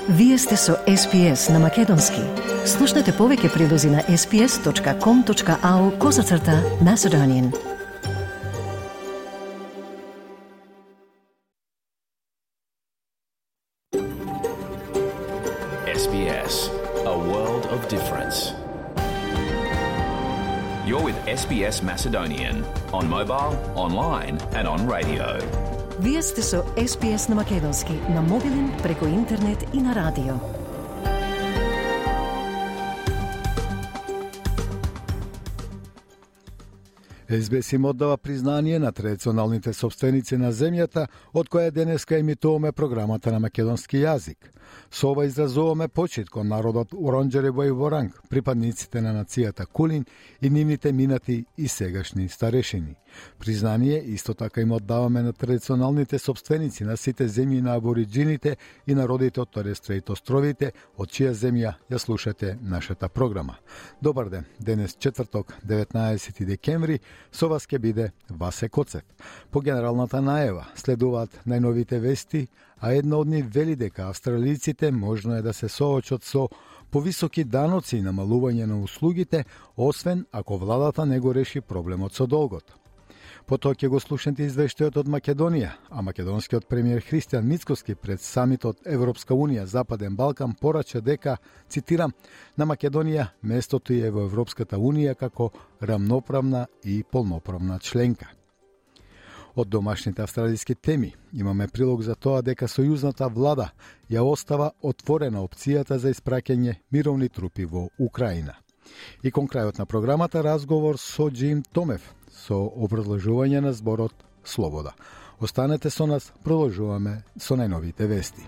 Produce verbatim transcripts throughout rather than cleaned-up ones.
Вие сте со Ес Би Ес на Македонски. Слушнете повеќе прилози на ес би ес точка ком точка ау козацрта Macedonian. Ес Би Ес, a world of difference. You're with Ес Би Ес Macedonian on mobile, online and on radio. Вие сте со Ес Би Ес на Македонски, на мобилен, преку интернет и на радио. Ес Би Ес им оддава признание на традиционалните собственици на земјата, од која денеска емитуваме програмата на македонски јазик. Со ова изразуваме почит кон народот Уронџерево и Воранг, припадниците на нацијата Кулин и нивните минати и сегашни старешини. Признание исто така им оддаваме на традиционалните собственици на сите земји на абориджините и народите од Торес Стрейт островите, од чија земја ја слушате нашата програма. Добар ден, денес четврток, деветнаесети декември, со вас ќе биде Васе Коцев. По генералната најава следуваат најновите вести, а една од нив вели дека австралиците можно е да се соочат со повисоки даноци и намалување на услугите, освен ако владата не го реши проблемот со долгот. Потоа ќе го слушнете извештајот од Македонија, а македонскиот премиер Христијан Мицкоски пред самитот Европска Унија Западен Балкан порача дека, цитирам, на Македонија местото е во Европската Унија како рамноправна и полноправна членка. Од домашните австралиски теми имаме прилог за тоа дека сојузната влада ја остава отворена опцијата за испраќање мировни трупи во Украина. И кон крајот на програмата разговор со Джим Томев со образложување на зборот Слобода. Останете со нас, продолжуваме со најновите вести.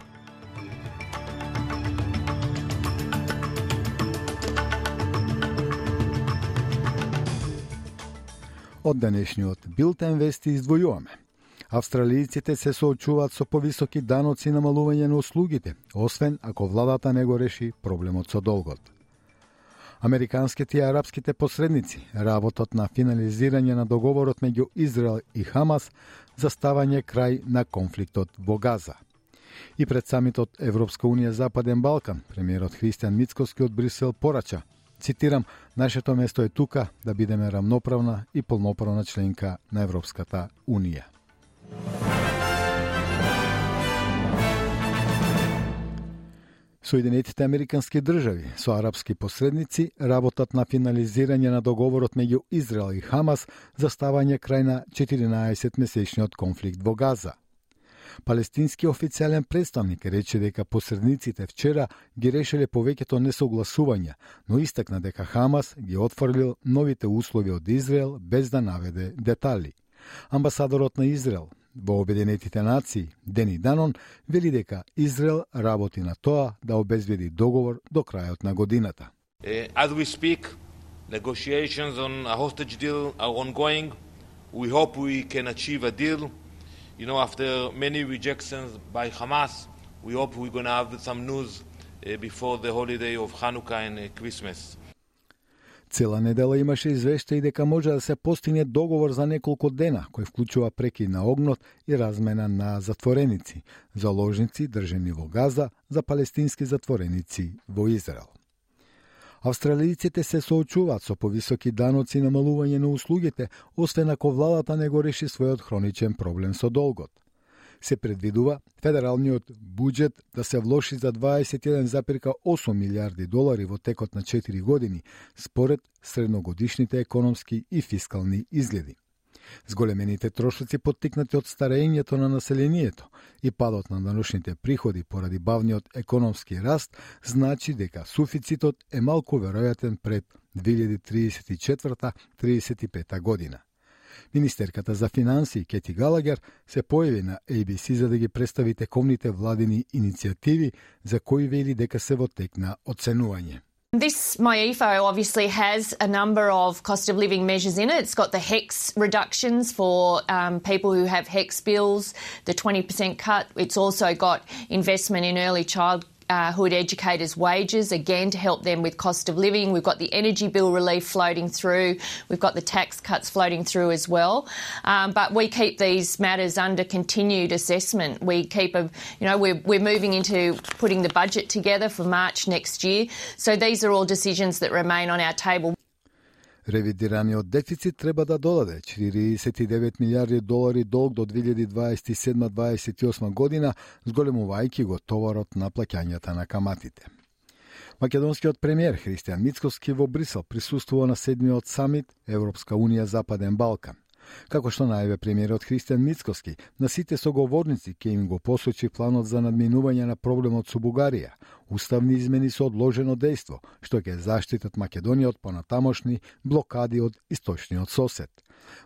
Од денешниот билтен вести издвојуваме. Австралијците се соочуваат со повисоки даноци и намалување на услугите, освен ако владата не го реши проблемот со долгот. Американските и арапските посредници работат на финализирање на договорот меѓу Израел и Хамас за ставање крај на конфликтот во Газа. И пред самитот Европска Унија Западен Балкан, премиерот Христијан Мицкоски од Брисел порача, цитирам, нашето место е тука да бидеме рамноправна и полноправна членка на Европската Унија. Соединетите американски држави со арапски посредници работат на финализирање на договорот меѓу Израел и Хамас за ставање крај на четиринаесетмесечниот конфликт во Газа. Палестински официјален представник рече дека посредниците вчера ги решиле повеќето несогласувања, но истакна дека Хамас ги отфрлил новите услови од Израел без да наведе детали. Амбасадорот на Израел во Обединетите нации, Дени Данон, вели дека Израел работи на тоа да обезбеди договор до крајот на годината. As we speak, negotiations on a hostage deal are ongoing. We hope we can achieve a deal. You know, after many rejections by Hamas, we hope we're going to have some news before the holiday of Hanukkah and Christmas. Цела недела имаше извештаи дека може да се постигне договор за неколку дена, кој вклучува прекид на огнот и размена на затвореници, заложници држани во Газа за палестински затвореници во Израел. Австралијците се соочуваат со повисоки даноци и намалување на услугите, освен ако владата не го реши својот хроничен проблем со долгот. Се предвидува федералниот буџет да се влоши за дваесет и еден зарез и осум милијарди долари во текот на четири години, според средногодишните економски и фискални изгледи. Зголемените трошоци поттикнати од старењето на населението и падот на даношните приходи поради бавниот економски раст значи дека суфицитот е малку веројатен пред две илјади триесет и четврта - триесет и пета година. Министерката за финансии Кети Галагер се појави на Ей Би Си за да ги представи тековните владини иницијативи за кои вели дека се во тек на оценување. This M Y E F O obviously has a number of cost of living measures in it. It's got the HECS reductions for um, people who have HECS bills, the twenty percent cut. It's also got investment in early child uh, hood educators' wages, again to help them with cost of living. We've got the energy bill relief floating through. We've got the tax cuts floating through as well. Um, but we keep these matters under continued assessment. We keep a, you know, we're, we're moving into putting the budget together for March next year. So these are all decisions that remain on our table. Ревидираниот дефицит треба да додаде четириесет и девет милиарди долари долг до две илјади дваесет и седма дваесет и осма година, зголемувајќи го товарот на плаќањата на каматите. Македонскиот премиер Христијан Мицкоски во Брисел присуствува на седмиот самит Европска унија Западен Балкан. Како што најаве премиерот Христијан Мицкоски, на сите соговорници ќе им го посочи планот за надминување на проблемот со Бугарија, уставни измени со одложено дејство, што ќе заштитат Македонија од понатамошни блокади од источниот сосед.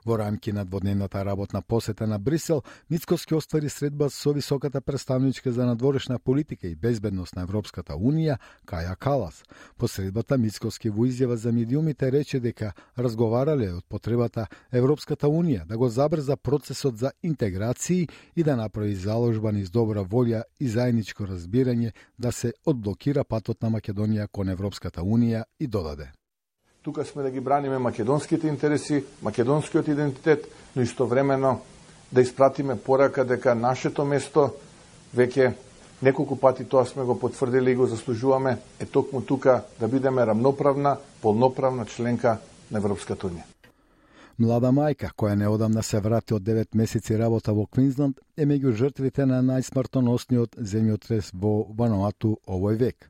Во рамки на дводневната работна посета на Брисел, Мицкоски оствари средба со високата представничка за надворешна политика и безбедност на Европската унија, Каја Калас. По средбата Мицкоски во изјава за медиумите рече дека разговарале од потребата Европската унија да го забрза процесот за интеграции и да направи заложба низ добра волја и заедничко разбирање да се одблокира патот на Македонија кон Европската унија и додаде: Тука сме да ги браниме македонските интереси, македонскиот идентитет, но истовремено да испратиме порака дека нашето место, веќе неколку пати тоа сме го потврдили и го заслужуваме, е токму тука да бидеме рамноправна, полноправна членка на Европската унија. Млада мајка, која неодамна се врати од девет месеци работа во Квинсленд, е меѓу жртвите на најсмртоносниот земјотрес во Вануату овој век.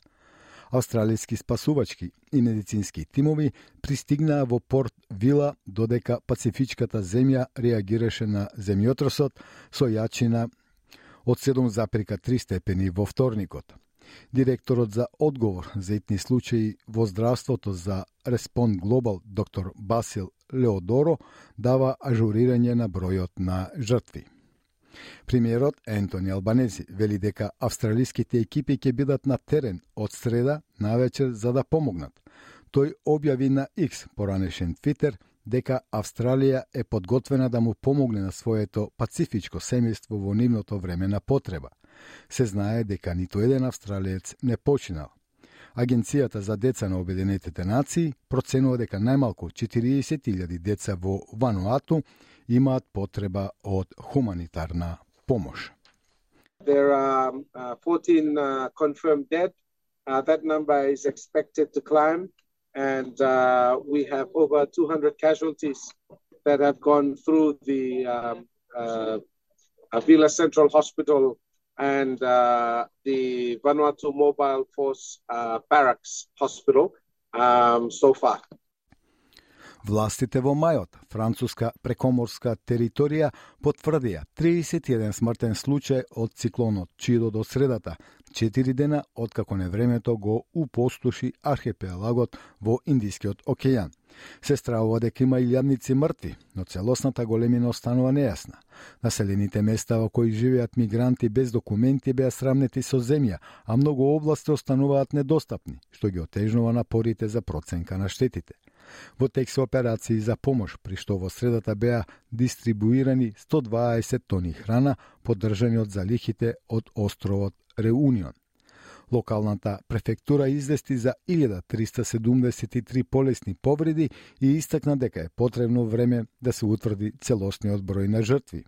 Австралијски спасувачки и медицински тимови пристигнаа во Порт Вила додека Пацифичката земја реагираше на земјотресот со јачина од седум запирка три степени во вторникот. Директорот за одговор за итни случаи во здравството за Respond Global, доктор Басил Леодоро, дава ажурирање на бројот на жртви. Премиерот Ентони Албанези вели дека австралиските екипи ќе бидат на терен од среда навечер за да помогнат. Тој објави на X, поранешен Твитер, дека Австралија е подготвена да му помогне на своето пацифичко семејство во нивното време на потреба. Се знае дека ниту еден австралиец не починал. Агенцијата за деца на Обединетите нации проценува дека најмалку четириесет илјади деца во Вануату имаат потреба од хуманитарна помош. There are uh, fourteen uh, confirmed dead. Uh, that number is expected to climb, and uh, we have over two hundred casualties that have gone through the um, uh, Avila Central Hospital and uh, the Vanuatu Mobile Force uh, Barracks Hospital um, so far. Властите во мајот, француска прекоморска територија, потврдија триесет и еден смртен случај од циклонот Чидо до средата, четири дена откако невремето го упустоши архипелагот во Индискиот океан. Се стравува дека има илјадници мртви, но целосната големина останува нејасна. Населените места во кои живеат мигранти без документи беа срамнети со земја, а многу области остануваат недостапни, што ги отежнува напорите за проценка на штетите. Во тек се операции за помош, при што во средата беа дистрибуирани сто дваесет тони храна, поддржани од залихите од островот Реунион. Локалната префектура извести за илјада триста седумдесет и три полесни повреди и истакна дека е потребно време да се утврди целосниот број на жртви.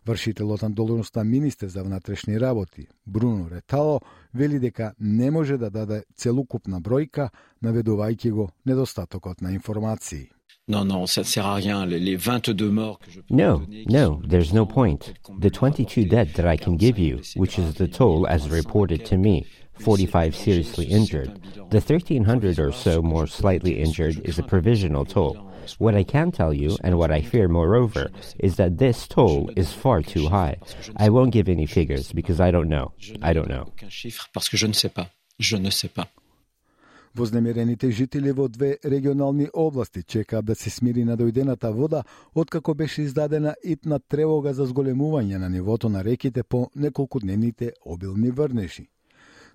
Вршителот на должноста министер за внатрешни работи, Бруно Ретало, вели дека не може да даде целокупна бројка, наведувајќи го недостатокот на информации. Non, non, ça ne sert à rien. Les, les vingt-deux morts que je peux No, donner, no, there's no point. The twenty-two dead that I can give you, which is the toll as reported to me, forty-five seriously injured. The thirteen hundred or so more slightly injured is a provisional toll. What I can tell you, and what I fear moreover, is that this toll is far too high. I won't give any figures because I don't know. I don't know. aucun chiffre parce que je ne sais pas. Je ne sais pas. Вознемирените жители во две регионални области чекаат да се смири надојдената вода, откако беше издадена итна тревога за зголемување на нивото на реките по неколкудневните обилни врнежи.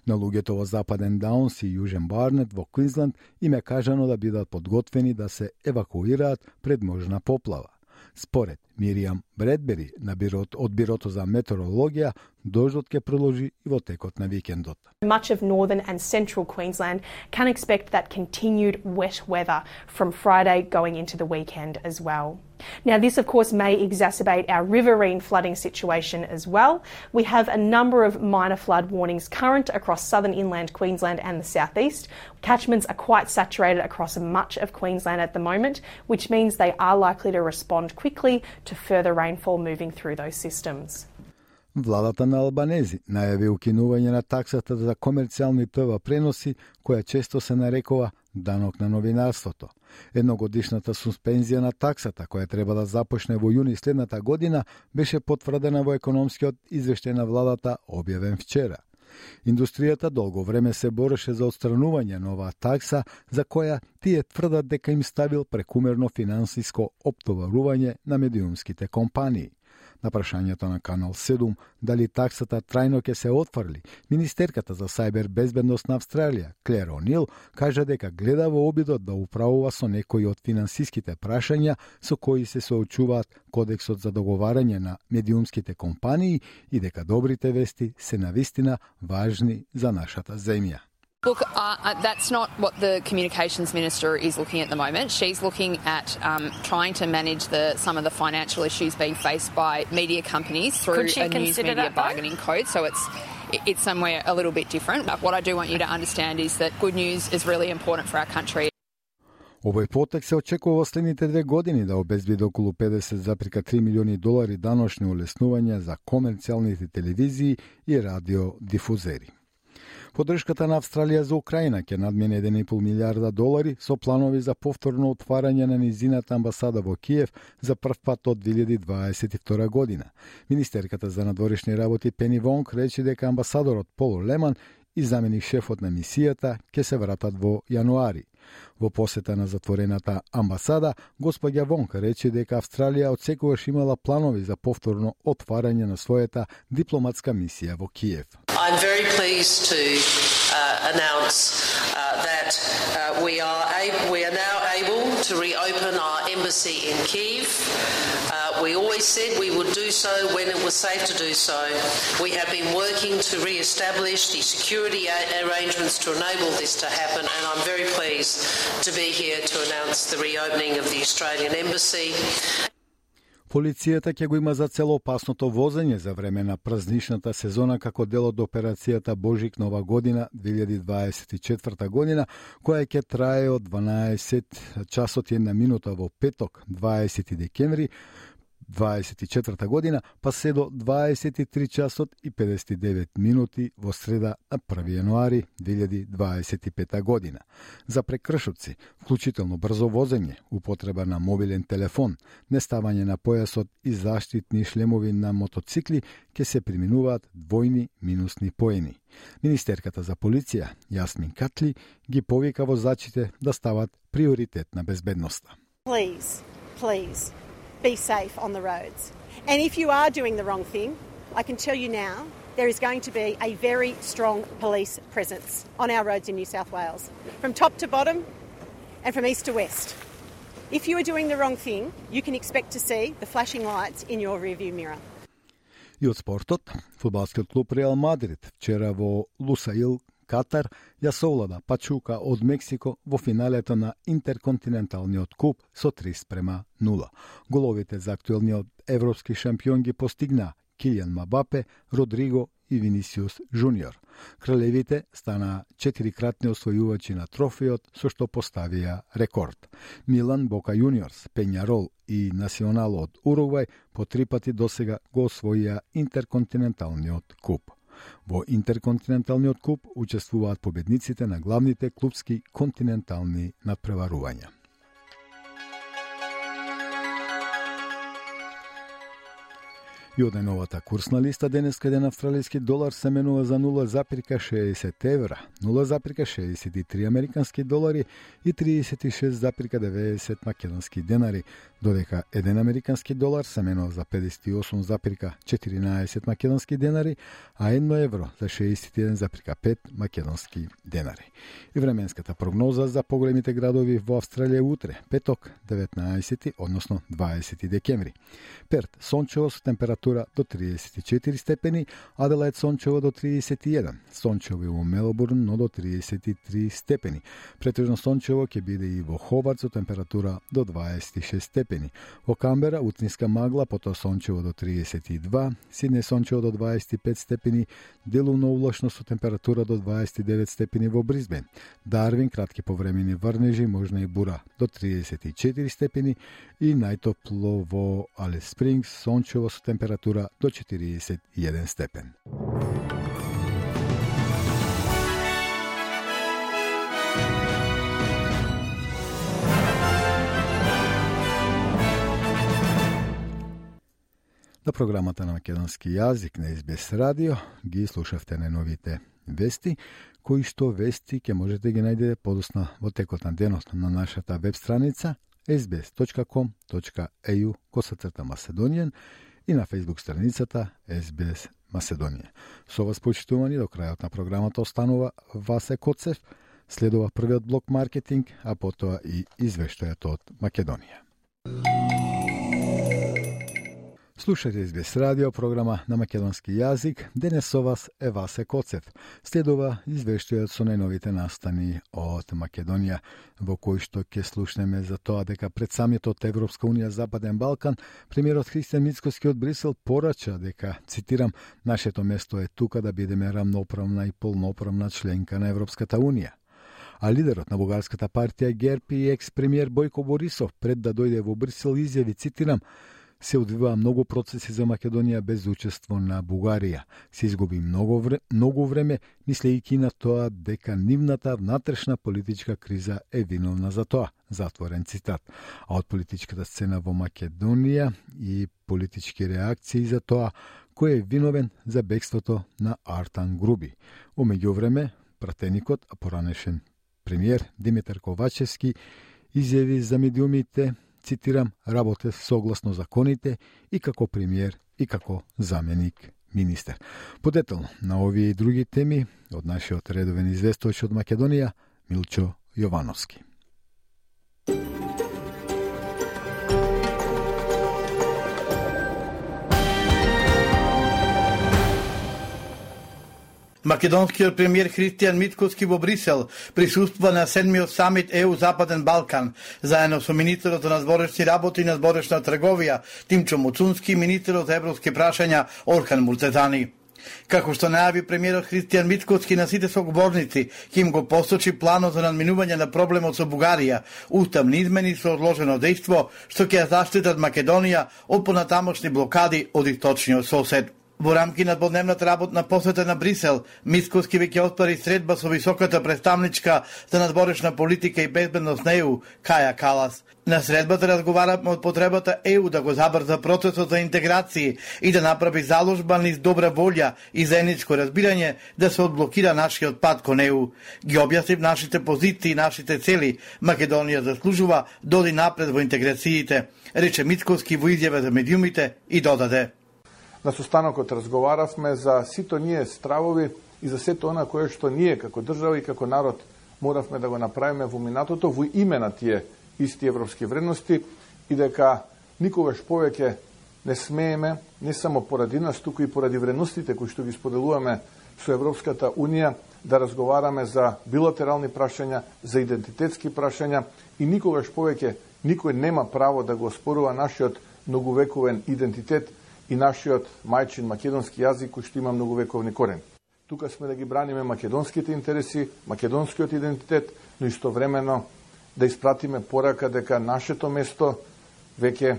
На луѓето во Западен Даунс и Јужен Барнет во Квинсленд им е кажано да бидат подготвени да се евакуираат пред можна поплава. Според Миријам Бредбери на бирот, од Бирото за метеорологија, дождот ќе продолжи и во текот на викендот. Much of northern and central Queensland can expect that continued wet weather from Friday going into the weekend as well. Now, this, of course, may exacerbate our riverine flooding situation as well. We have a number of minor flood warnings current across southern inland Queensland and the southeast. Catchments are quite saturated across much of Queensland at the moment, which means they are likely to respond quickly to further rainfall moving through those systems. Владата на Албанези најави укинување на таксата за комерцијални ТВ преноси, која често се нарекува данок на новинарството. Едногодишната суспензија на таксата, која треба да започне во јуни следната година, беше потврдена во економскиот извештај на владата, објавен вчера. Индустријата долго време се бореше за отстранување на оваа такса, за која тие тврдат дека им ставил прекумерно финансиско оптоварување на медиумските компании. На прашањето на Канал седум дали таксата трајно ќе се отфрли, министерката за сајбер безбедност на Австралија, Клер О'Нил, кажа дека гледа во обидот да управува со некои од финансиските прашања со кои се соочуваат Кодексот за договарање на медиумските компании и дека добрите вести се навистина важни за нашата земја. Look, uh, that's not what the Communications Minister is looking at the moment. She's looking at um, trying to manage the, some of the financial issues being faced by media companies through a news media bargaining code. So it's it's somewhere a little bit different. But what I do want you to understand is that good news is really important for our country. Овој потек се очекува во следните две години да обезбеди околу педесет зарез три милиони долари даночни улеснувања за комерцијалните телевизии и радиодифузери. Поддршката на Австралија за Украина ќе надмине еден и пол милијарда долари со планови за повторно отварање на низината амбасада во Киев за прв пат од две илјади дваесет и втора година. Министерката за надворешни работи Пени Вонг рече дека амбасадорот Пол Леман и заменик шефот на мисијата ќе се вратат во јануари. Во посета на затворената амбасада, господја Вонг рече дека Австралија отсекогаш имала планови за повторно отварање на својата дипломатска мисија во Киев. I'm very pleased to uh, announce uh, that uh, we are able, we are now able to reopen our embassy in Kyiv. Uh, we always said we would do so when it was safe to do so. We have been working to re-establish the security arrangements to enable this to happen, and I'm very pleased to be here to announce the reopening of the Australian embassy. Полицијата ќе го има за цел опасното возење за време на празничната сезона како дел од операцијата Божик Нова година две илјади дваесет и четврта година, која ќе трае од дванаесет часот и една минута во петок, дваесети декември дваесет и четврта година, па се до дваесет и три часот и педесет и девет минути во среда на први јануари две илјади дваесет и пета година. За прекршоци, вклучително брзо возење, употреба на мобилен телефон, неставање на појасот и заштитни шлемови на мотоцикли ќе се приминуваат двојни минусни поени. Министерката за полиција, Јасмин Катли, ги повика возачите да стават приоритет на безбедноста. Please, please. Be safe on the roads. And if you are doing the wrong thing, I can tell you now, there is going to be a very strong police presence on our roads in New South Wales, from top to bottom and from east to west. If you are doing the wrong thing, you can expect to see the flashing lights in your rearview mirror. И од спортот, фудбалскиот клуб Реал Мадрид вчера во Лусаил, Катар, ја совлада Пачука од Мексико во финалето на Интерконтиненталниот куп со три спрема нула. Головите за актуелниот европски шампион ги постигна Килијан Мбапе, Родриго и Винисиус Жуниор. Кралевите стана четирикратни освојувачи на трофејот, со што поставија рекорд. Милан, Бока Јуниорс, Пењарол и Национал од Уругвај по три пати досега го освоија Интерконтиненталниот куп. Во Интерконтиненталниот куп учествуваат победниците на главните клупски континентални надпреварувања. И од најновата курсна листа денеска еден австралиски долар се менува за нула запирка шеесет евра, нула запирка шеесет и три американски долари и триесет и шест запирка деветдесет македонски денари, додека еден американски долар се менува за педесет и осум запирка четиринаесет македонски денари, а едно евро за шеесет и еден запирка пет македонски денари. И временската прогноза за поголемите градови во Австралија утре, петок, деветнаесети, односно дваесети декември. Перт, сончево со температура до триесет и четири степени, Аделаид сончево до триесет и еден, сончево и во Мелбурн, но до триесет и три степени. Претежно сончево ќе биде и во Хобарт со температура до дваесет и шест степени. Во Камбера утринска магла, потоа сончево до триесет и два, Сиднеј сончево до дваесет и пет степени, делумно облачно со температура до дваесет и девет степени во Брисбен. Дарвин кратки повремени врнежи, можна и бура до триесет и четири степени и најтопло во Алис Спрингс сончево со температура до четириесет и еден степен. На програмата на македонски јазик на Ес Би Ес радио ги слушавте најновите вести, кои што вести ќе можете ги најдете подосна во текот на денот на нашата веб страница ес би ес точка ком точка е ю косацрта Macedonian и на фејсбук страницата Ес Би Ес Macedonија. Со вас почитувани до крајот на програмата останува Васе Коцев, следува првиот блок маркетинг, а потоа и извештајот од Македонија. Слушате Ес Би Ес радио, програма на македонски јазик. Денес со вас е Васе Коцев. Следува извештајот со најновите настани од Македонија, во кој што ќе слушнеме за тоа дека пред самитот Европска унија Западен Балкан, премиерот Христијан Мицкоски од Брисел порача дека, цитирам, нашето место е тука да бидеме рамноправна и полноправна членка на Европската унија. А лидерот на бугарската партија ГЕРП и екс-премиер Бојко Борисов пред да дојде во Брисел изјави, цитирам, се одвива многу процеси за Македонија без учество на Бугарија. Се изгуби многу време, многу време мислејќи на тоа дека нивната внатрешна политичка криза е виновна за тоа. Затворен цитат. А од политичката сцена во Македонија и политички реакции за тоа кој е виновен за бегството на Артан Груби. Во меѓувреме, пратеникот, а поранешен премиер Димитар Ковачевски изјави за медиумите, цитирам, работев согласно законите и како премиер и како заменик министер. Подетално на овие и други теми од нашиот редовен известувач од Македонија Милчо Јовановски. Македонскиот премиер Христијан Мицкоски во Брисел присуствува на седмиот самит Е У Западен Балкан, заедно со министерот за надворешни работи и надворешна трговија Тимчо Муцунски и министерот за европски прашања Орхан Муртезани. Како што најави премиерот Христијан Мицкоски на сите соговорници, ќе им го посочи планот за надминување на проблемот со Бугарија, уставни измени со одложено дејство, што ќе ја заштитат Македонија од понатамошни блокади од источниот сосед. Во рамки на дводневната работна посета на Брисел, Мицкоски веќе отпари средба со високата представничка за надворешна политика и безбедност на Е У, Каја Калас. На средбата разговараме од потребата Е У да го забрза процесот за интеграција и да направи заложба низ добра волја и заедничко разбирање да се одблокира нашиот пат кон Е У. Ги објаснив нашите позиции и нашите цели. Македонија заслужува да оди напред во интеграциите, рече Мицкоски во изјава за медиумите и додаде. На состанокот разговаравме за сито ние стравови и за сето она кое што ние како држава и како народ моравме да го направиме во минатото во име на тие исти европски вредности и дека никогаш повеќе не смееме, не само поради нас, туку и поради вредностите кои што ги споделуваме со Европската Унија, да разговараме за билатерални прашања, за идентитетски прашања и никогаш повеќе никој нема право да го оспорува нашиот многувековен идентитет и нашиот мајчин македонски јазик кој што има многувековни корени. Тука сме да ги браниме македонските интереси, македонскиот идентитет, но истовремено да испратиме порака дека нашето место, веќе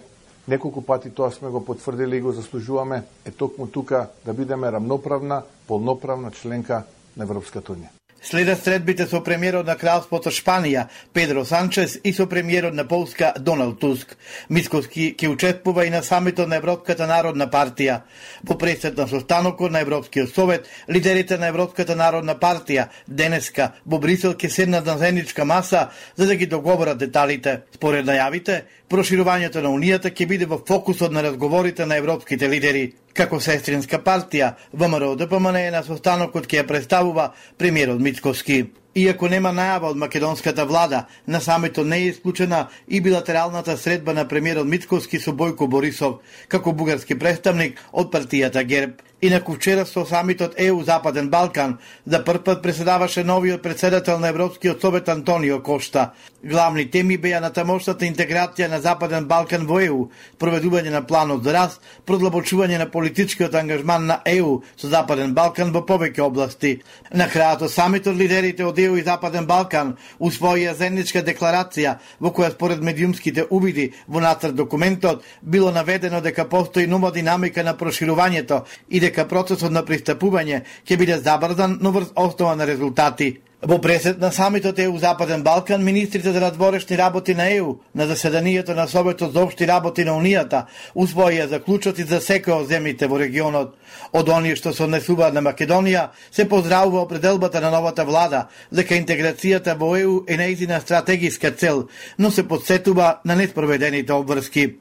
неколку пати тоа сме го потврдили и го заслужуваме, е токму тука да бидеме рамноправна, полноправна членка на Европската Унија. Следат средбите со премиерот на Кралството Шпанија, Педро Санчес, и со премиерот на Полска, Доналд Туск. Мицкоски ќе учествува и на самитот на Европската народна партија. Во пресет на состанокот на Европскиот совет, лидерите на Европската народна партија денеска во Брисел ќе седнат на заедничка маса за да ги договорат деталите. Според најавите, проширувањето на Унијата ќе биде во фокусот на разговорите на европските лидери. Како сестринска партија, ВМРО-ДПМН на состанокот ќе ја представува премиерот Мицкоски. Иако нема најава од македонската влада, на самитот не е исклучена и билатералната средба на премиерот Мицкоски со Бојко Борисов, како бугарски представник од партијата ГЕРБ. Инаку вчера со самитот Е У Западен Балкан за прв пат преседаваше новиот председател на Европскиот совет Антонио Кошта. Главни теми беа на тамошната интеграција на Западен Балкан во Е У, проведување на планот за раст, продлабочување на политичкиот ангажман на Е У со Западен Балкан во повеќе области. На крајот самитот лидерите од Е У и Западен Балкан усвоија заедничка декларација во која според медиумските увиди во нацрт документот било наведено дека постои нова динамика на проширувањето и дека процесот на пристапување ќе биде забрзан, но врз основа на резултати. Во пресет на самитот Е У Западен Балкан, министрите за надворешни работи на Е У на заседанието на Советот за општи работи на Унијата усвоија заклучоци за секој од земјите во регионот. Од оние што се однесуваат на Македонија, се поздравува определбата на новата влада дека интеграцијата во Е У е нејзина стратегиска цел, но се подсетува на неспроведените обврски.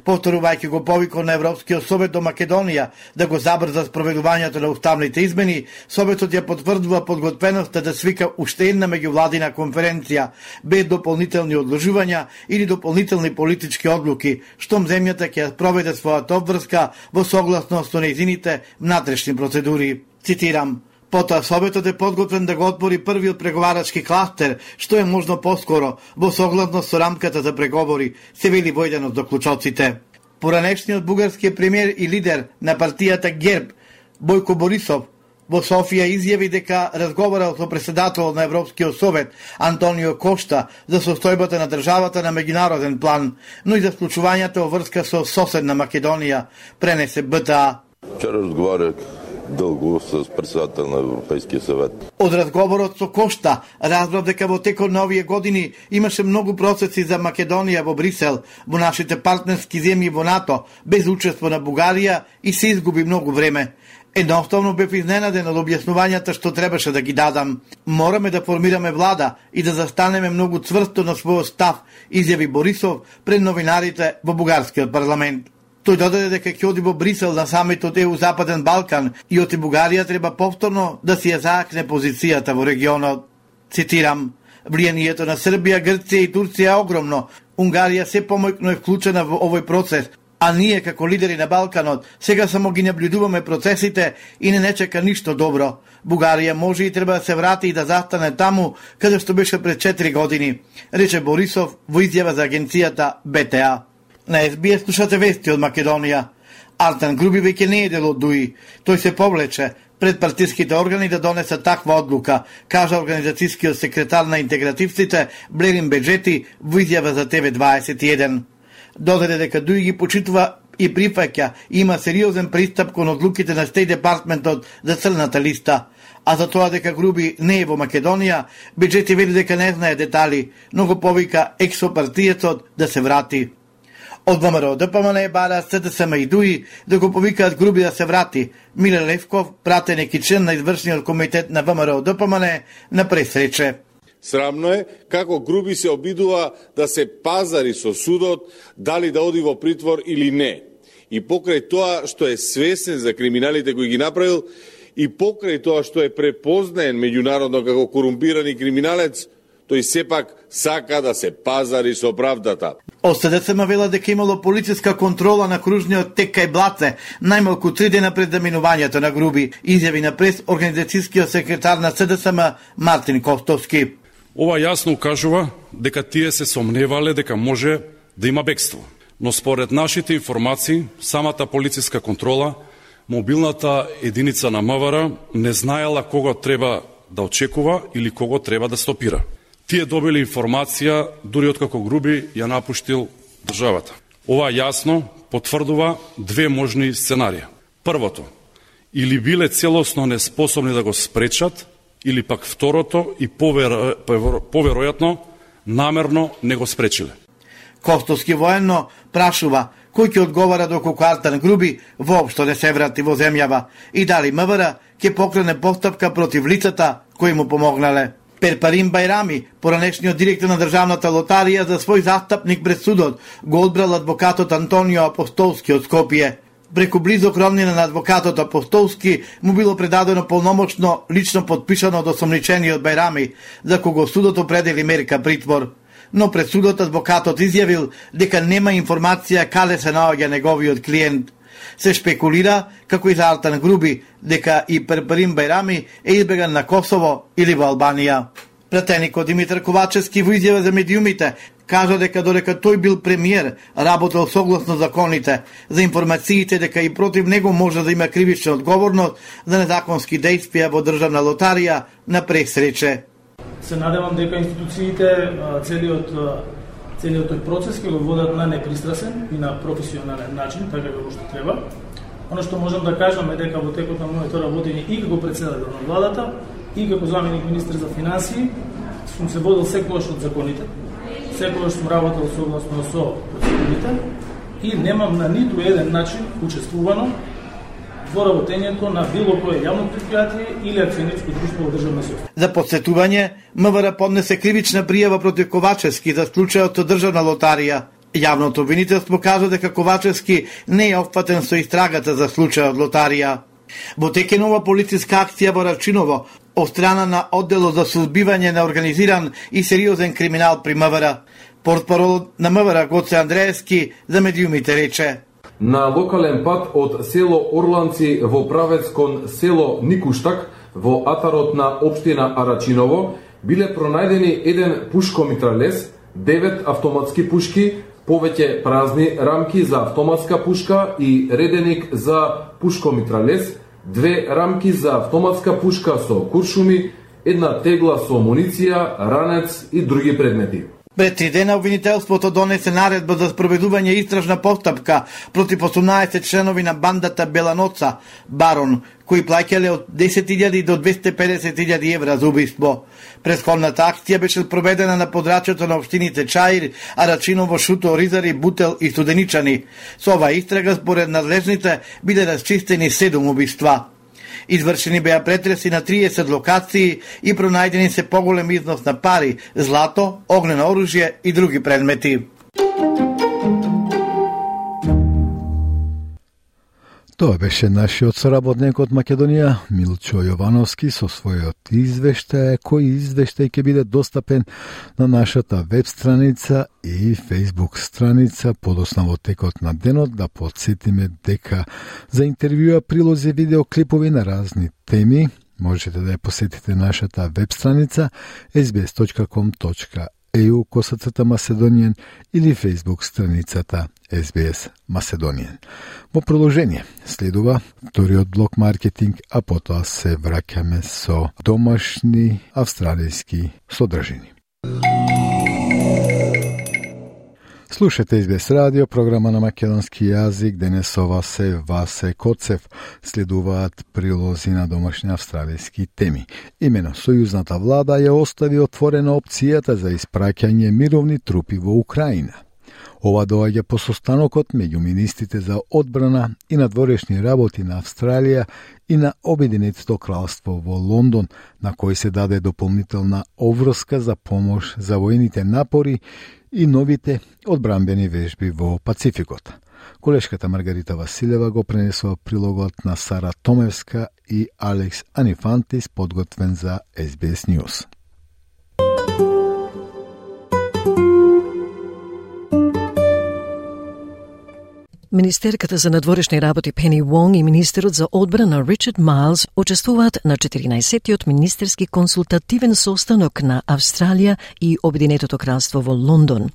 Повторувајќи го повикот на Европскиот совет до Македонија да го забрза спроведувањето на уставните измени, Советот ја потврдува подготвеноста да свика уште една меѓувладина конференција без дополнителни одложувања или дополнителни политички одлуки, штом земјата ќе проведе својата обврска во согласност со нејзините внатрешни процедури. Цитирам: Потоа Советот е подготвен да го отвори првиот преговарачки кластер, што е можно поскоро, во согласност со рамката за преговори, се вели во еден од заклучоците. Поранешниот бугарски премиер и лидер на партијата ГЕРБ, Бојко Борисов, во Софија изјави дека разговарал со председателот на Европскиот совет Антонио Кошта за состојбата на државата на меѓународен план, но и за склучувањето во врска со соседна Македонија, пренесе Б Т А. Вчера разговарах дълго с председател на Европейския съвет. Од разговорот со Кошта разбрав дека во текот на овие години имаше многу процеси за Македонија во Брисел, во нашите партнерски земји во НАТО, без учество на Бугарија и се изгуби многу време. Едноставно бев изненаден од објаснувањата што требаше да ги дадам. Мораме да формираме влада и да застанеме многу цврсто на својот став, изјави Борисов пред новинарите во бугарскиот парламент. Тој додаде дека ќе оди во Брисел на самитот Е У Западен Балкан и оти Бугарија треба повторно да си ја заакне позицијата во регионот. Цитирам: влијанието на Србија, Грција и Турција е огромно. Унгарија се помојно е вклучена во овој процес, а ние како лидери на Балканот сега само ги наблюдуваме процесите и не не чека ништо добро. Бугарија може и треба да се врати и да застане таму каде што беше пред четири години, рече Борисов во изјава за агенцијата Б Т А. На Ес Би Ес слушате вести од Македонија. Артан Груби веќе не е дел од Дуи. Тој се повлече пред партиските органи да донесат таква одлука, кажа организацијскиот секретар на интегративците Блерин Беджети во изјава за Те Ве дваесет и еден. Додаде дека Дуи ги почитува и прифаќа и има сериозен пристап кон одлуките на Стејт Департментот за црната листа. А за тоа дека Груби не е во Македонија, Беджети вели дека не знае детали, но го повика ексопартиецот да се врати. Од ВМРО-ДПМН бара Се Де Се Ем и Дуи да го повикаат Груби да се врати. Миле Левков, пратеник и член на извршниот комитет на ВМРО-ДПМН, на пресрече. Срамно е како Груби се обидува да се пазари со судот дали да оди во притвор или не. И покрај тоа што е свесен за криминалите кои ги направил и покрај тоа што е препознаен меѓународно како корумпирани криминалец, тој сепак сака да се пазари со правдата. Од Се Де Се Ем вела дека имало полициска контрола на кружниот тек кај Блаце, најмалку три дена пред заминувањето на Груби, изјави на прес организацијскиот секретар на Се Де Се Ем Мартин Костовски. Ова јасно укажува дека тие се сомневале дека може да има бегство. Но според нашите информации, самата полициска контрола, мобилната единица на М В Р не знаела кого треба да очекува или кого треба да стопира. Тие добили информација дури откако Груби ја напуштил државата. Ова јасно потврдува две можни сценарија. Првото, или биле целосно неспособни да го спречат, или пак второто и повер... поверојатно намерно не го спречиле. Костовски военно прашува кој ќе одговара доколку Артан Груби воопшто не се врати во земјава и дали МВР ќе покрене постапка против лицата кои му помогнале. Перпарим Бајрами, поранешниот директор на Државната лотарија, за свој застапник пред судот го одбрал адвокатот Антонио Апостолски од Скопје. Преку близок роднина на адвокатот Апостолски му било предадено полномочно лично подпишано од осомничениот Бајрами, за кого судот определи мерка притвор. Но пред судот адвокатот изјавил дека нема информација каде се наоѓа неговиот клиент. Се шпекулира, како и за Артан Груби, дека и Перпарим Бајрами е избеган на Косово или во Албанија. Пратеникот Димитар Ковачевски во изјава за медиумите кажа дека додека тој бил премиер, работел согласно законите, за информациите дека и против него може да има кривична одговорност за незаконски дејствија во Државна лотарија на пресрече. Се надевам дека институциите целиот целиот тој процес ќе го водат на непристрасен и на професионален начин, така како што треба. Оно што можам да кажам е дека во текот на моето работење и како претседател на владата и како заменик министер за финансии сум се водел секогаш од законите, секогаш сум работел согласно со процедурите и немам на ниту еден начин учествувано во работењето на било кое јавно предпријатие или акционерско друштво во државна собственост. За подсетување, МВР поднесе кривична пријава против Ковачевски за случајот со Државна лотарија. Јавното обвинителство кажа дека Ковачевски не е опфатен со истрагата за случајот лотарија. Во тек е нова полициска акција во Рачиново од страна на одделот за сузбивање на организиран и сериозен криминал при МВР. Портпаролот на МВР Гоце Андреевски за медиумите рече: На локален пат од село Орланци во правец кон село Никуштак во атарот на општина Арачиново биле пронајдени еден пушко-митралес, девет автоматски пушки, повеќе празни рамки за автоматска пушка и реденик за пушко-митралес, две рамки за автоматска пушка со куршуми, една тегла со амуниција, ранец и други предмети. Пред три дена обвинителството донесе наредба за спроведување истражна постапка против осумнаесет членови на бандата Беланоца, Барон, кои плаќале од десет илјади до двесте и педесет илјади евра за убиство. Претходната акција беше проведена на подрачјето на општините Чаир, Арачиново, Шуто, Ризари, Бутел и Студеничани. Со оваа истрага, според надлежните, биле расчистени седум убиства. Извршени беа претреси на триесет локации и пронајдени се поголем износ на пари, злато, огнено оружје и други предмети. Тоа беше нашиот соработник од Македонија, Милчо Јовановски, со својот извештај, кој извештај ќе биде достапен на нашата веб страница и Facebook страница подосна во текот на денот. Да подсетиме дека за интервјуа, прилози, видеоклипови на разни теми можете да ја посетите нашата веб страница ес би ес точка ком точка е ю косацрта Macedonian или Facebook страницата ес би ес Macedonian. Во продолжение следува вториот блок маркетинг, а потоа се враќаме со домашни австралијски содржини. Слушате ес би ес радио, програма на македонски јазик. Денес со вас се Васе Коцев. Следуваат прилози на домашни австралијски теми. Имено, сојузната влада ја остави отворена опцијата за испраќање мировни трупи во Украина. Ова доаѓа по состанокот меѓу министрите за одбрана и надворешни работи на Австралија и на Обединетото кралство во Лондон, на кој се даде дополнителна обврска за помош за воените напори и новите одбранбени вежби во Пацификот. Колешката Маргарита Василева го пренесува прилогот на Сара Томевска и Алекс Анифантис, подготвен за ес би ес News. Министерката за надворешни работи Пени Вонг и министерот за одбрана Ричард Майлз учествуваат на четиринаесеттиот министерски консултативен состанок на Австралија и Обединетото кралство во Лондон.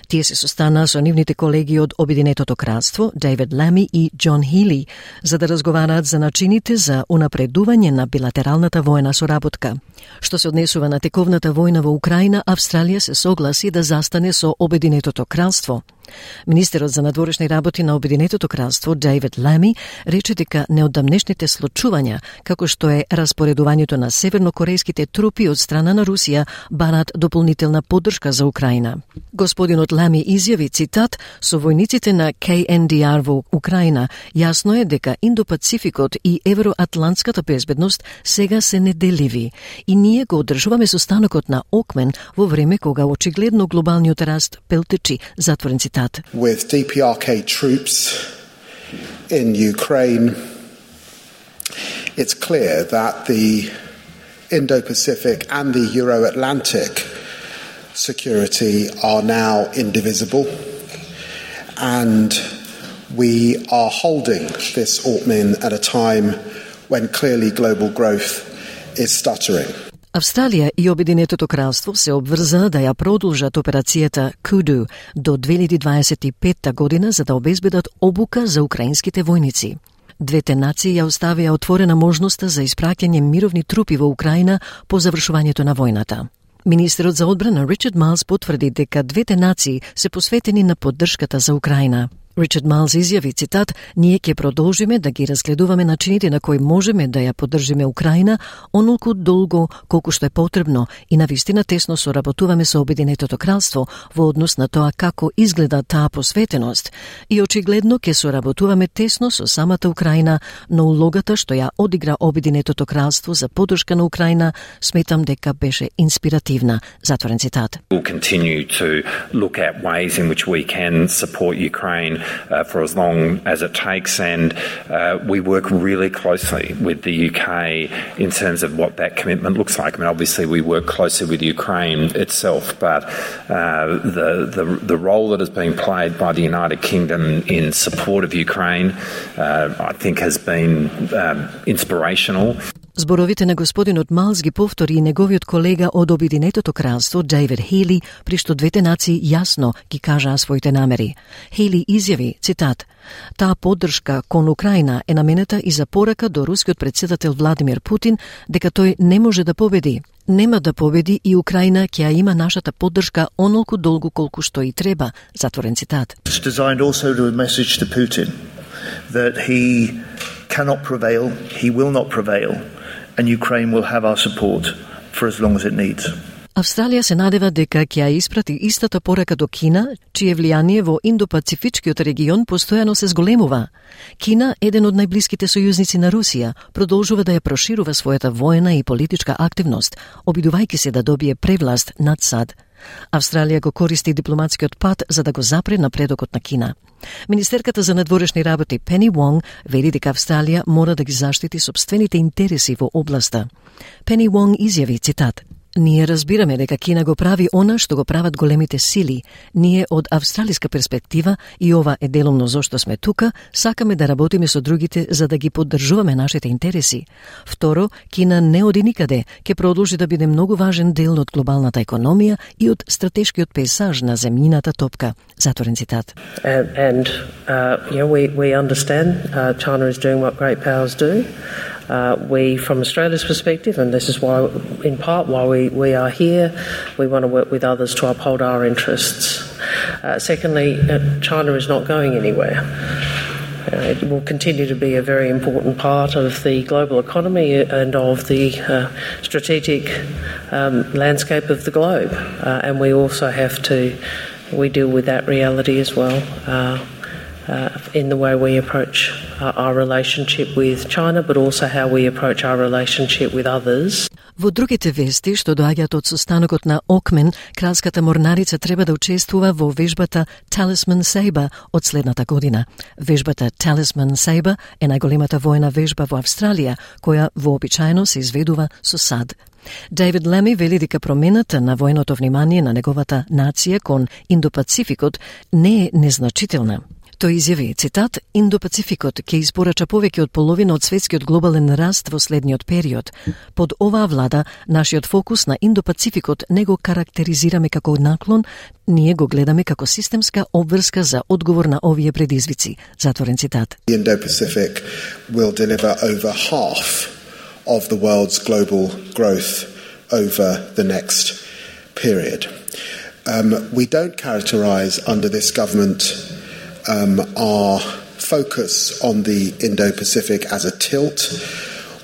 Тие се состанаа со нивните колеги од Обединетото кралство, Дейвид Лами и Џон Хили, за да разговараат за начините за унапредување на билатералната воена соработка. Што се однесува на тековната војна во Украина, Австралија се согласи да застане со Обединетото кралство. Министерот за надворешни работи на Обединетото кралство Дейвид Лами рече дека неодамнешните случувања, како што е распоредувањето на севернокорејските трупи од страна на Русија, барат дополнителна поддршка за Украина. Господинот Лами изјави, цитат, со војниците на К Н Д Р во Украина, јасно е дека Индо-Пацификот и евроатлантската безбедност сега се неделиви и ние го одржуваме состанокот на Окмен во време кога очигледно глобалниот раст пелтечи, затворен цитат. With D P R K troops in Ukraine, it's clear that the Indo-Pacific and the Euro-Atlantic security are now indivisible, and we are holding this Okmin at a time when clearly global growth is stuttering. Австралија и Обединетото кралство се обврзаа да ја продолжат операцијата Kudu до две илјади дваесет и петта година за да обезбедат обука за украинските војници. Двете нации ја оставија отворена можноста за испраќање мировни трупи во Украина по завршувањето на војната. Министерот за одбрана Ричард Майлс потврди дека двете нации се посветени на поддршката за Украина. Ричард Майлс изјави, цитат, ние ќе продолжиме да ги разгледуваме начините на кои можеме да ја поддржиме Украина онолку долго колку што е потребно и навистина тесно соработуваме со Обединетото кралство во однос на тоа како изгледа таа посветеност и очигледно ќе соработуваме тесно со самата Украина, но улогата што ја одигра Обединетото кралство за поддршка на Украина сметам дека беше инспиративна, затворен цитат. We'll continue to look at ways in which we can support Ukraine Uh, for as long as it takes, and uh, we work really closely with the U K in terms of what that commitment looks like. I mean, obviously we work closely with Ukraine itself, but uh, the, the the role that is being played by the United Kingdom in support of Ukraine, uh, I think, has been um, inspirational. Зборовите на господинот Малс ги повтори и неговиот колега од Обединетото кралство Дейвид Хейли, при што двете нации јасно ги кажаа своите намери. Хейли изјави, цитат, таа поддршка кон Украина е наменета и за порака до рускиот председател Владимир Путин дека тој не може да победи. Нема да победи и Украина ќе ја има нашата поддршка онолку долго колку што и треба, затворен цитат. It's designed also to a message to Putin that he cannot prevail, he will not prevail. And Ukraine will have our support for as long as it needs. Австралија се надева дека ќе ја испрати истата порака до Кина, чие влијание во Индо-Пацифичкиот регион постојано се зголемува. Кина, еден од најблиските сојузници на Русија, продолжува да ја проширува својата воена и политичка активност, обидувајќи се да добие превласт над САД. Австралија го користи дипломатскиот пат за да го запре напредокот на Кина. Министерката за надворешни работи Пени Вонг вели дека Австралија мора да ги заштити сопствените интереси во областа. Пени Вонг изјави, цитат, ние разбираме дека Кина го прави она што го прават големите сили. Ние од австралиска перспектива, и ова е деломно зошто сме тука, сакаме да работиме со другите за да ги поддржуваме нашите интереси. Второ, Кина не оди никаде, ќе продолжи да биде многу важен дел од глобалната економија и од стратешкиот пейсаж на земјината топка. Затворен цитат. And, and uh, you know, we, we understand uh, China is doing what great powers do. Uh, we, from Australia's perspective, and this is why, in part, why we, we are here, we want to work with others to uphold our interests. Uh, secondly, uh, China is not going anywhere. Uh, it will continue to be a very important part of the global economy and of the uh, strategic um, landscape of the globe. Uh, and we also have to, we deal with that reality as well. Uh, Uh, in the way we approach uh, our relationship with China, but also how we approach our relationship with others. Во другите вести што доаѓаат од состанокот на Окмен, кралската морнарица треба да учествува во вежбата Talisman Sabre од следната година. Вежбата Talisman Sabre е најголемата воена вежба во Австралија, која вообичаено се изведува со САД. Дейвид Леми вели дека промената на военото внимание на неговата нација кон Индо-Пацификот не е незначителна. Тој изјави, цитат, Индо-Пацификот ќе испорача повеќе од половина од светскиот глобален раст во следниот период. Под оваа влада, нашиот фокус на Индо-Пацификот не го карактеризираме како наклон, ние го гледаме како системска обврска за одговор на овие предизвици. Затворен цитат. Indo-Pacific will deliver over half of the world's global growth over the next period. Um, we don't characterise under this government um, our focus on the Indo-Pacific as a tilt.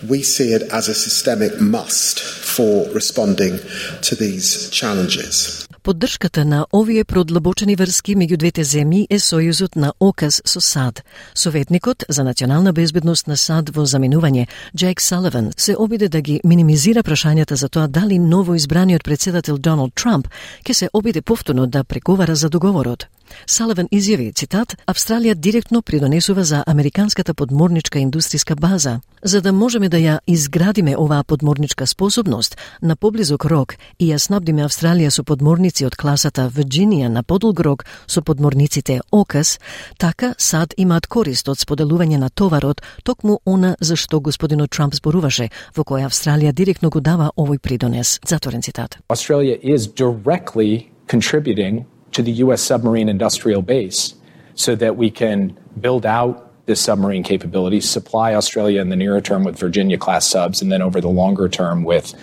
We see it as a systemic must for responding to these challenges. Поддршката на овие продлабочени врски меѓу двете земји е сојузот на ОКАС со САД. Советникот за национална безбедност на САД во заминување, Джейк Саливан, се обиде да ги минимизира прашањата за тоа дали ново избраниот председател Доналд Трамп ќе се обиде повторно да преговара за договорот. Саливан изјави, цитат, Австралија директно придонесува за американската подморничка индустријска база. За да можеме да ја изградиме оваа подморничка способност на поблизок рок и ја снабдиме Австралија со подморници од класата Вирџинија на подолг рок со подморниците ОКАС, така САД имаат корист од споделување на товарот, токму она за што господинот Трамп зборуваше, во која Австралија директно го дава овој придонес. Затворен цитат. Australia is directly contributing to the U S submarine industrial base so that we can build out this submarine capability, supply Australia in the nearer term with Virginia-class subs, and then over the longer term with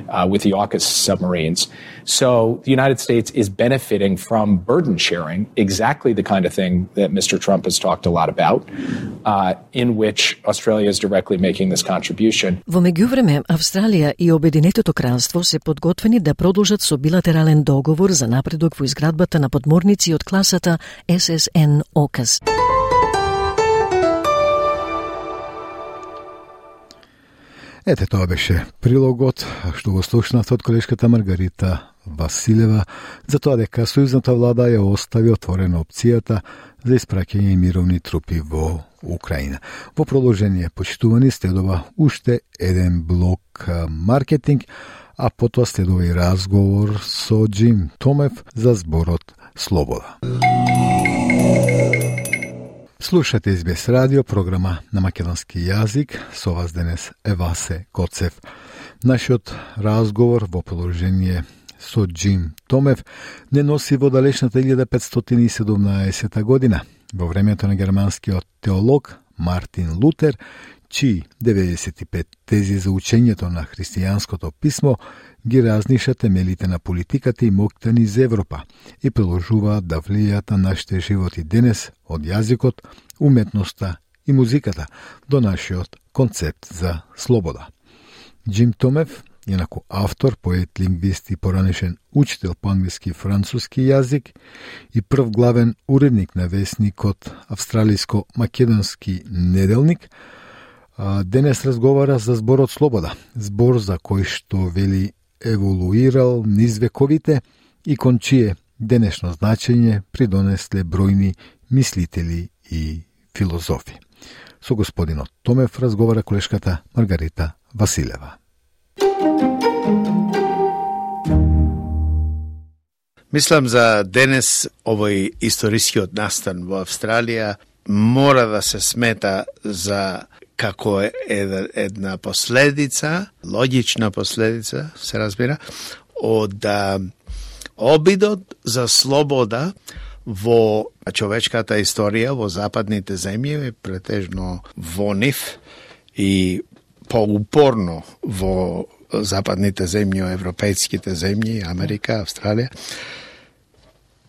uh, with the AUKUS submarines. So the United States is benefiting from burden sharing, exactly the kind of thing that Mister Trump has talked a lot about, uh, in which Australia is directly making this contribution. Во меѓувреме, Австралија и Обединетото кралство се подготвени да продолжат со билатерален договор за напредок во изградбата на подморници од класата Ес Ес Ен ОКАС. Ете, тоа беше прилогот што го слушнавте од колешката Маргарита Василева за тоа дека сојузната влада ја остави отворена опцијата за испраќање мировни трупи во Украина. Во продолжение, почитувани, следува уште еден блок маркетинг, а потоа следува и разговор со Джим Томев за зборот Слобода. Слушате Ес Би Ес радио, програма на македонски јазик. Со вас денес е Васе Коцев. Нашиот разговор во продолжение со Джим Томев не носи во далечната илјада петстотини и седумнаесета година, во времето на германскиот теолог Мартин Лутер, чии деветдесет и пет тези за учењето на христијанското писмо ги разниша темелите на политиката и моќта низ Европа и продолжуваат да влијаат на нашите животи денес од јазикот, уметноста и музиката до нашиот концепт за слобода. Джим Томев, инаку автор, поет, лингвист и поранешен учител по англиски и француски јазик и прв главен уредник на весникот Австралиско-македонски неделник, денес разговара за зборот Слобода, збор за кој што вели еволуирал низ вековите и кон чие денешно значење придонесле бројни мислители и филозофи. Со господинот Томев разговара колешката Маргарита Василева. Мислам за денес овој историскиот настан во Австралија мора да се смета за како една последица, логична последица, се разбира, од обидот за слобода во човечката историја во западните земји, претежно во нив и поупорно во западните земји, европејските земји, Америка, Австралија,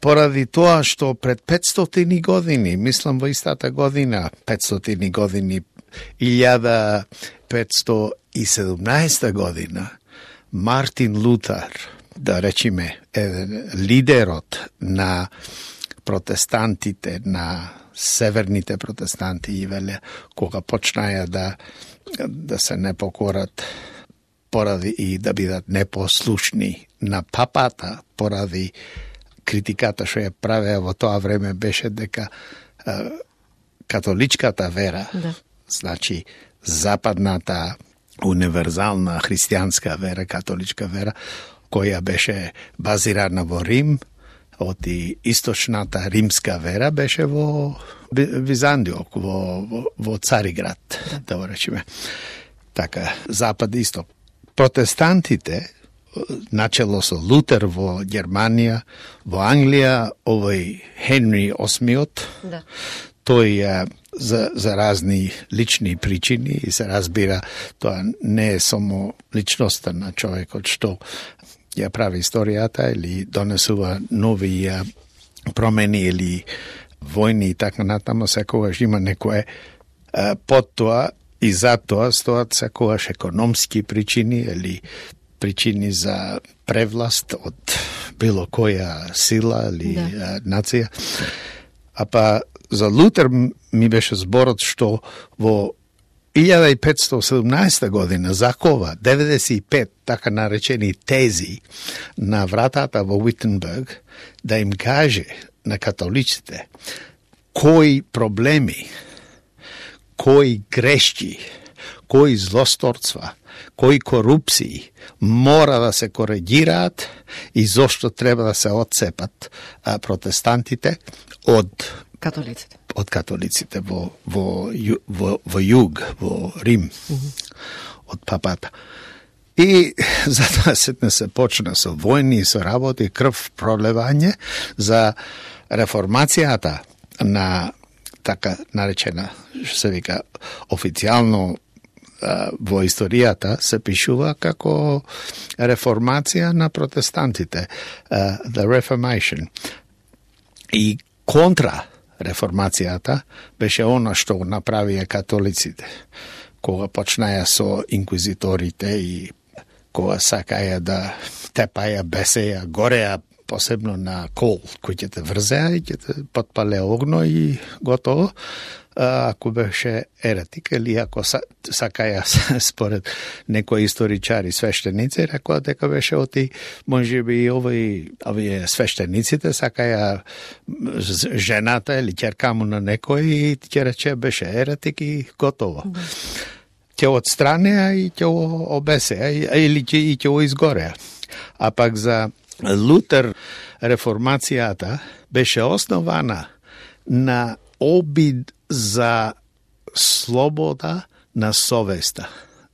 поради тоа што пред петстотини години, мислам во истата година, петстотини години, илјада петстотини и седумнаесета година, Мартин Лутер, да речеме, еден лидерот на протестантите, на северните протестанти, и веле, кога почнаја да, да се не покорат поради и да бидат непослушни на папата, поради критиката што ја правеа во тоа време беше дека е, католичката вера, да. Значи западната универзална христијанска вера, католичка вера, која беше базирана во Рим, од и источната римска вера беше во Византијок, во, во, во Цариград, да, да го речеме. Така, запад и исток. Протестантите, начело со Лутер во Германија, во Англија, овој Хенри осмиот, да. Тој за, за разни лични причини и се разбира, тоа не е само личноста на човекот што ја прави историјата или донесува нови а, промени или војни и така натаму, секогаш има некое а, под тоа и за тоа стоат секогаш економски причини или причини за превласт од било која сила или да. а, нација. А па за Лутер ми беше зборот што во илјада и петстотини и седумнаесета година закова деветдесет и пет така наречени тези на вратата во Уитенберг да им каже на католиците кои проблеми, кои грешки, кои злосторства, кои корупции мора да се коригираат и зошто треба да се отцепат а, протестантите од католиците. Од католиците во во во, во југ, во Рим, mm-hmm. од папата. И затоа сетне се почна со војни, со работи, крв пролевање за реформацијата на така наречена, што се вика, официјално во историјата се пишува како реформација на протестантите, uh, the Reformation. И контра реформацијата беше она што направија католиците, кога почнаја со инквизиторите и кога сакаја да тепаја, бесеја, гореја, посебно на кол, кој ќе те врзеа и ќе те потпале огно и готово. Ако беше еретик или ако сакаја според некои историчари свештеници, рекоа дека беше оти можеби и овој овие свештениците сакаја жената или ќерка му на некој и ќе рече беше еретик и готово. Да. Ќе отстранеа и ќе обесеа или ќе и ќе изгореа. А пак за Лутер реформацијата беше основана на обид за слобода на совеста.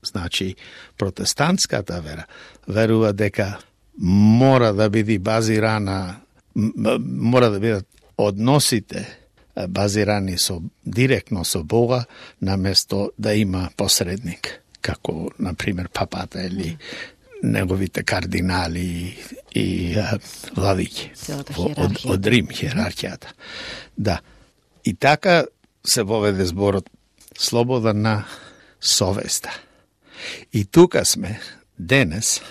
Значи, протестантската вера верува дека мора да биде базирана, мора да бидат односите базирани со директно со Бога, наместо да има посредник, како, например, папата или неговите кардинали и а, владики од, од Рим, хиерархијата. Да. И така се воведе зборот слобода на совеста. И тука сме денес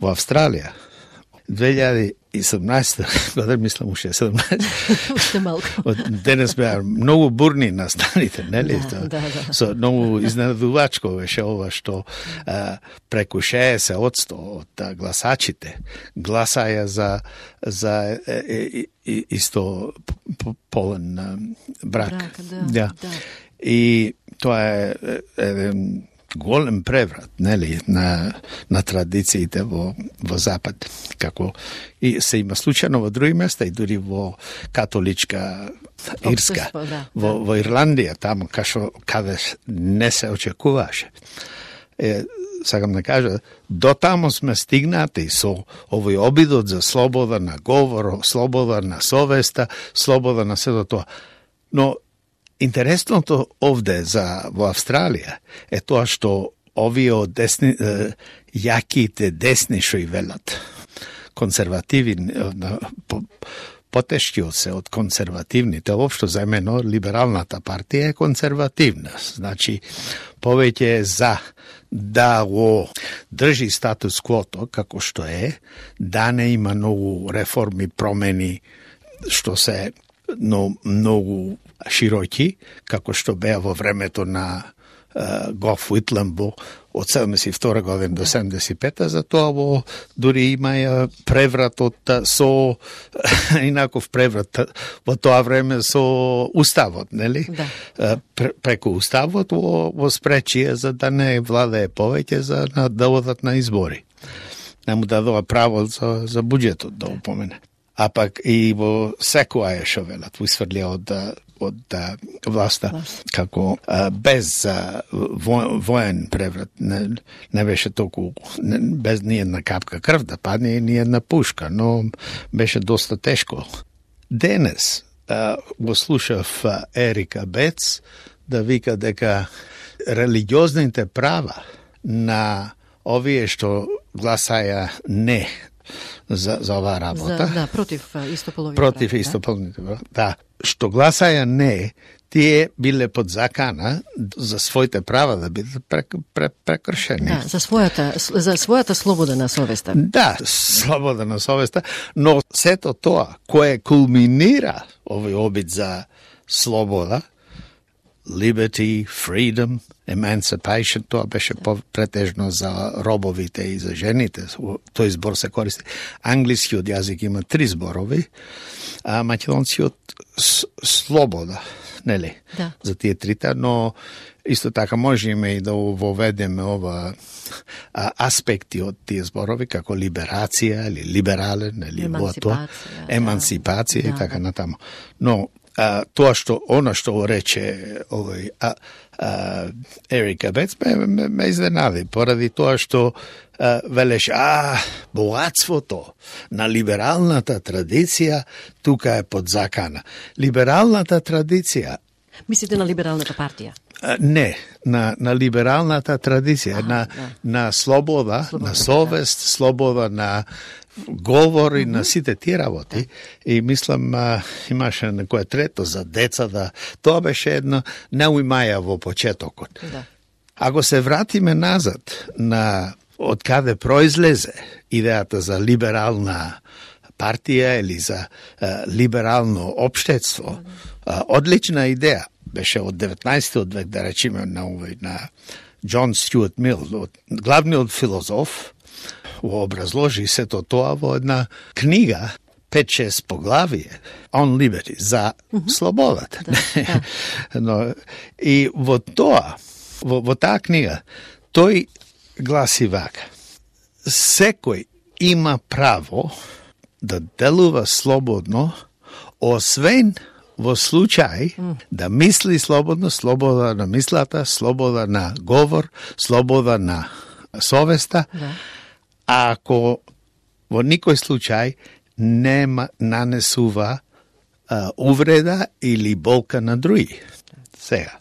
во Австралија, две илјади и седумнаесета година, мислам уште седумнаесета. Уште малку. Денес беа многу бурни настаните, нели? Да, да, да. Со многу изненадувачко беше ова што а, преку шеесет одсто од гласачите гласаја за за е, е, е, исто полен а, брак. брак да, да. да. И тоа е еден голем преврат, нели, на на традициите во во Запад, како и се има случајно во други места и дури во католичка Ирска, да, во да. во Ирландија, таму кашо каде не се очекуваше. Е, сакам да кажа, до таму сме стигнати со овој обидот за слобода на говор, слобода на совеста, слобода на сето тоа. Но интересното овде за во Австралија е тоа што овие од десни, е, јаките десни што и велат, консервативи, по, потешки се од консервативните, воопшто заемено либералната партија е консервативна. Значи, повеќе е за да го држи статус квото како што е, да не има многу реформи, промени, што се но многу широки, како што беа во времето на uh, Гоф Уитланд од седумдесет и втора година до седумдесет и пета, затоа во дури имаја превратот со инаков преврат во тоа време со уставот, нели? Да. Преку уставот во, во спречие за да не владее повеќе за на, да одат на избори. Не му дадоа право за, за буџетот да упомене. А пак и во секоја што велат, висврлија од од власта, како а, без а, во, воен преврат, не, не беше толку, не, без ни една капка крв да падне и ни една пушка, но беше доста тешко. Денес а, го слушав а, Ерика Бец да вика дека религиозните права на овие што гласаја не за, за оваа работа. За, да, против истополовите. Против истополовите, да. да. Што гласаја не, тие биле под закана за своите права да бидат прекршени. Да, за својата за својата слобода на совеста. Да, слобода на совеста, но сето тоа кое кулминира овој обид за слобода, liberty, freedom, emancipation, тоа беше претежно за робовите и за жените. Тој збор се користи. Англискиот јазик има три зборови, а македонскиот слобода, нели? Да. За тие трите, но исто така можеме и да воведеме ова а, аспекти од тие зборови, како либерација или либерален, или емансипација, емансипација да. и така натаму. Но а, тоа што она што рече овој а, а, Ерика Бец ме, ме, ме изненади, поради тоа што а, велеше, а, богатството на либералната традиција тука е под закана. Либералната традиција. Мислите на либералната партија? А, не, на, на либералната традиција, на, да. на слобода, слобода, на совест, да. Слобода на говор и mm -hmm. на сите тие работи. И мислам, а, имаше некоја трето за деца, да тоа беше едно неуимаја во почетокот. Да. Ако се вратиме назад на од каде произлезе идејата за либерална партија или за а, либерално општество, mm -hmm. а, одлична идеја беше од деветнаесеттиот век, да речеме, на овој на Џон Стюарт Мил, главниот филозоф, го образложи сето тоа во една книга, пет-шест поглавие, On Liberty, за mm -hmm. слободата. Да, да. Но, и во тоа, во, во таа книга, тој гласи вака: секој има право да делува слободно, освен во случај mm. да мисли слободно, слобода на мислата, слобода на говор, слобода на совеста, да. А ако во никој случај нема нанесува а, увреда или болка на други. Сега,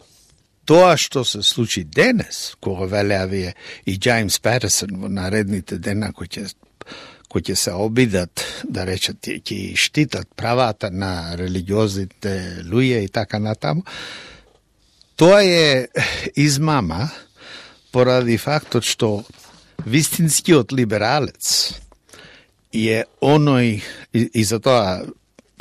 тоа што се случи денес, кога велеа вие и Джеймс Патерсон во наредните дена кои ќе кои ќе се обидат, да речат, ќе штитат правата на религиозните луѓе и така натаму, тоа е измама поради фактот што вистинскиот либералец е оној, и, и за тоа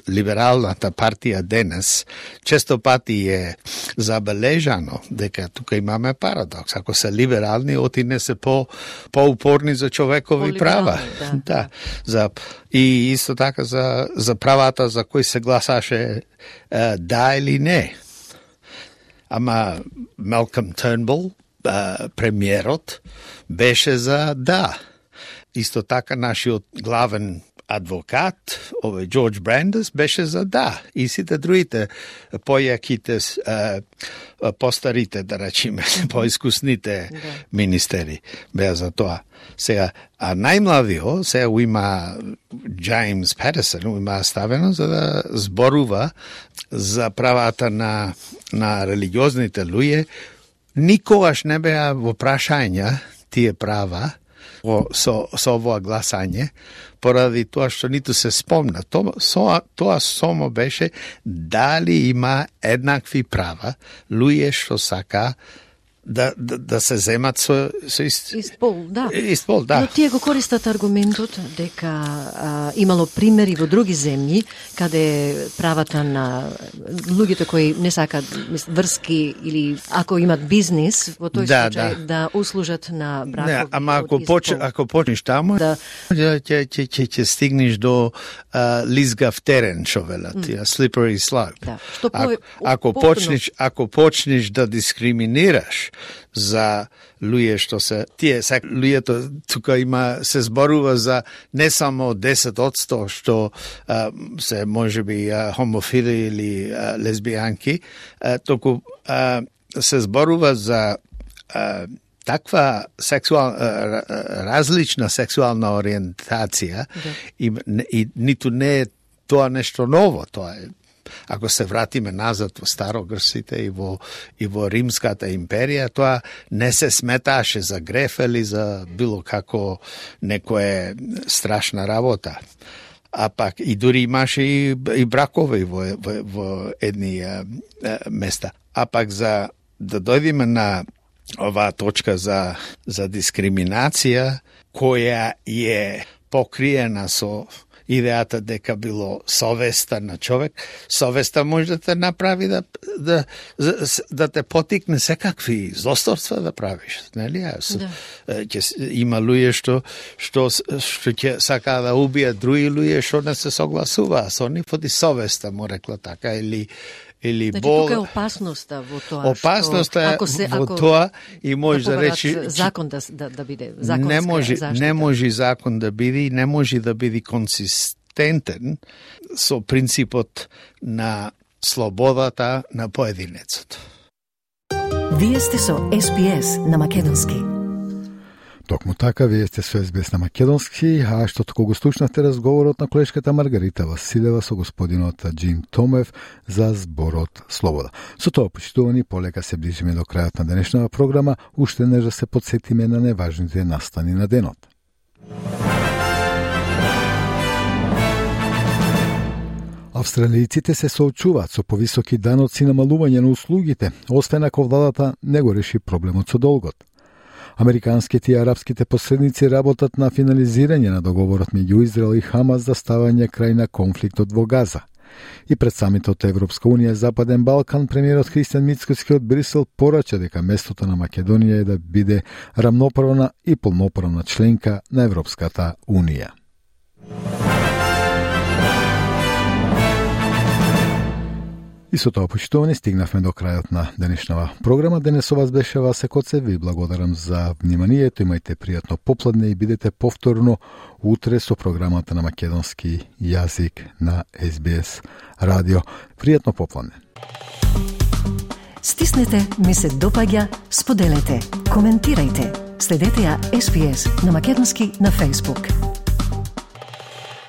либералната партија денес често пати е забележано дека тука имаме парадокс. Ако се либерални, оти не се по поупорни за човекови права. Да. Да. За и исто така за за правата за кои се гласаше е, да или не. Ама Малком Тернбул, премиерот, беше за да. Исто така нашиот главен адвокат, овој Джордж Брандес, беше за да. И сите другите појаките, постарите, да речеме, поискусните министери беа за тоа. Сега, а најмладиот, сега има Джеймс Патерсон, има ставено за да зборува за правата на, на религиозните луѓе. Никогаш не беа во прашања тие права со, со овоа гласање, поради тоа што ниту се спомна. Тоа, со, тоа само беше дали има еднакви права луѓе што сака да, да, да се земат со, со ист... Испол, да. Испол, да. Но тие го користат аргументот дека а, имало примери во други земји каде правата на луѓето кои не сакаат врски или ако имат бизнис во тој да, случај да. да услужат на бракови. Не, ама ако поч, ако почнеш таму, да ќе ќе ќе ќе стигнеш до uh, лизгав терен, што велат, mm. slippery slope. Да. Што по, ако, ако потpuno... почнеш ако почнеш да дискриминираш за луѓе што се тие сак луѓето тука има се зборува за не само десет одсто што а, се можеби а, хомофили или а, лесбијанки, а, току а, се зборува за а, таква сексуал, различна сексуална ориентација да. и, и ниту не е тоа нешто ново, тоа е ако се вратиме назад во Старогрците и во, и во Римската империја, тоа не се сметаше за греф или за било како некоја страшна работа. А пак и дури имаше и, и бракови во, во, во едни а, а, места. А пак за да дојдеме на оваа точка за, за дискриминација, која е покриена со идејата дека било совеста на човек, совеста може да те направи да, да, да те потикне секакви злосторства да правиш, нели? Да. Ќе има луѓе што што што ќе сака да убијат други луѓе што не се согласуваат со нив, поради совеста, му рекла така, или или значи, бол... тука е опасноста во тоа. Опасноста е ако се, во ако тоа и може да, да речи закон да да, да биде законска не може заштита. Не може закон да биде и не може да биде консистентен со принципот на слободата на поединецот. Вие сте со Ес Би Ес на македонски. Токму така, вие сте со Ес Би Ес на македонски, а што току го слушнавте разговорот на колешката Маргарита Василева со господинот Джим Томев за зборот Слобода. Со тоа, почитувани, полека се ближиме до крајот на денешната програма, уште не да се подсетиме на неважните настани на денот. Австралијците се соочуваат со повисоки даноци на намалување на услугите, освен ако владата не го реши проблемот со долгот. Американските и арапските посредници работат на финализирање на договорот меѓу Израел и Хамас за ставање крај на конфликтот во Газа. И пред самитот Европска унија Западен Балкан, премиерот Христијан Мицкоски од Брисел порача дека местото на Македонија е да биде рамноправна и полноправна членка на Европската унија. И со тоа, почитувани, стигнавме до крајот на денешнава програма. Денес со вас беше Васе Коце. Ви благодарам за вниманието. Имајте пријатно попладне и бидете повторно утре со програмата на македонски јазик на Ес Би Ес радио. Пријатно попладне. Стиснете, ми се допаѓа, споделете, коментирајте. Следете ја Ес Би Ес на македонски на Facebook.